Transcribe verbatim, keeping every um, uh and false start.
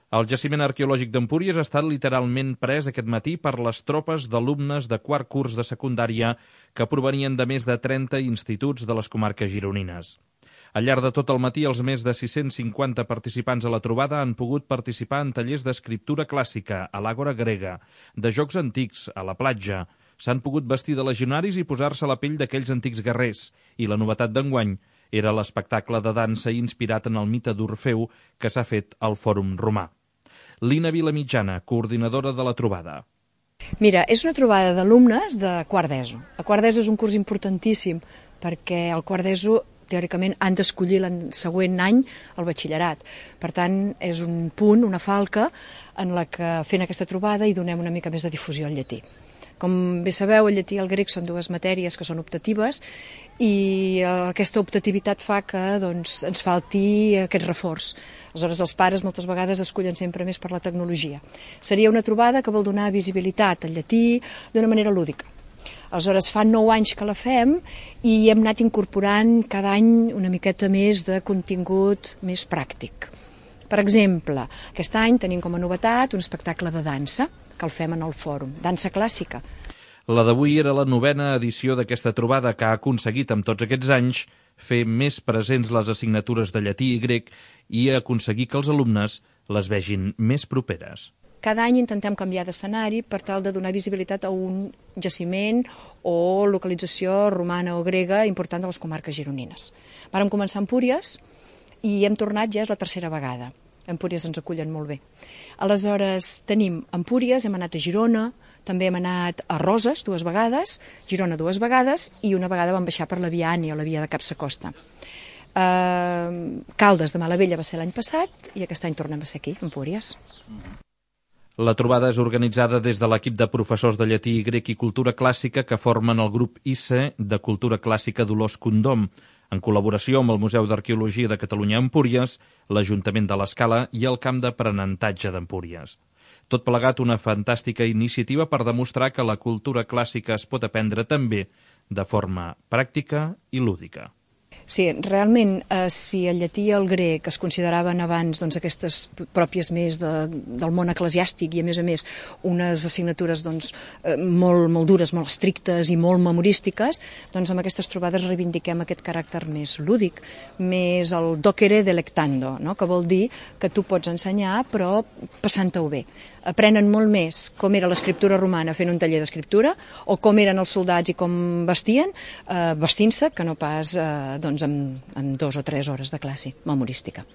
El jaciment arqueològic d'Empúries ha estat literalment pres aquest matí per les tropes d'alumnes de quart curs de secundària que provenien de més de trenta instituts de les comarques gironines. Al llarg de tot el matí, els més de sis-cents cinquanta participants a la trobada han pogut participar en tallers d'escriptura clàssica, a l'àgora grega, de jocs antics, a la platja. S'han pogut vestir de legionaris i posar-se a la pell d'aquells antics guerrers. I la novetat d'enguany era l'espectacle de dansa inspirat en el mite d'Orfeu que s'ha fet al Fòrum Romà. Lina Vilamitjana, coordinadora de la trobada. Mira, és una trobada d'alumnes de quart d'ESO. El quart d'ESO és un curs importantíssim perquè el quart d'ESO teòricament han d'escollir l'any següent any el batxillerat. Per tant, és un punt, una falca, en la que fent aquesta trobada hi donem una mica més de difusió al llatí. Com bé sabeu, el llatí i el grec són dues matèries que són optatives i aquesta optativitat fa que doncs, ens falti aquest reforç. Aleshores, els pares moltes vegades escollen sempre més per la tecnologia. Seria una trobada que vol donar visibilitat al llatí d'una manera lúdica. Aleshores, fa nou anys que la fem i hem anat incorporant cada any una miqueta més de contingut més pràctic. Per exemple, aquest any tenim com a novetat un espectacle de dansa que el fem en el fòrum, dansa clàssica. La d'avui era la novena edició d'aquesta trobada que ha aconseguit amb tots aquests anys fer més presents les assignatures de llatí i grec i aconseguir que els alumnes les vegin més properes. Cada any intentem canviar d'escenari per tal de donar visibilitat a un jaciment o localització romana o grega important de les comarques gironines. Vàrem començar a Empúries i hem tornat ja és la tercera vegada. Empúries ens acullen molt bé. Aleshores tenim Empúries, hem anat a Girona, també hem anat a Roses dues vegades, Girona dues vegades i una vegada vam baixar per la via Ània, la via de Capsacosta. Uh, Caldes de Malavella va ser l'any passat i aquest any tornem a ser aquí, Empúries. La trobada és organitzada des de l'equip de professors de llatí i grec i cultura clàssica que formen el grup I C E de Cultura Clàssica Dolors Condom, en col·laboració amb el Museu d'Arqueologia de Catalunya a Empúries, l'Ajuntament de l'Escala i el Camp d'Aprenentatge d'Empúries. Tot plegat una fantàstica iniciativa per demostrar que la cultura clàssica es pot aprendre també de forma pràctica i lúdica. Sí, realment, eh, si el llatí i el grec es consideraven abans doncs, aquestes pròpies més de, del món eclesiàstic i, a més a més, unes assignatures doncs, eh, molt, molt dures, molt estrictes i molt memorístiques, doncs amb aquestes trobades reivindiquem aquest caràcter més lúdic, més el docere delectando, no? Que vol dir que tu pots ensenyar però passant-ho bé. Aprenen molt més com era l'escriptura romana fent un taller d'escriptura o com eren els soldats i com vestien, eh, vestint-se, que no pas eh, doncs, amb, amb dos o tres hores de classe memorística.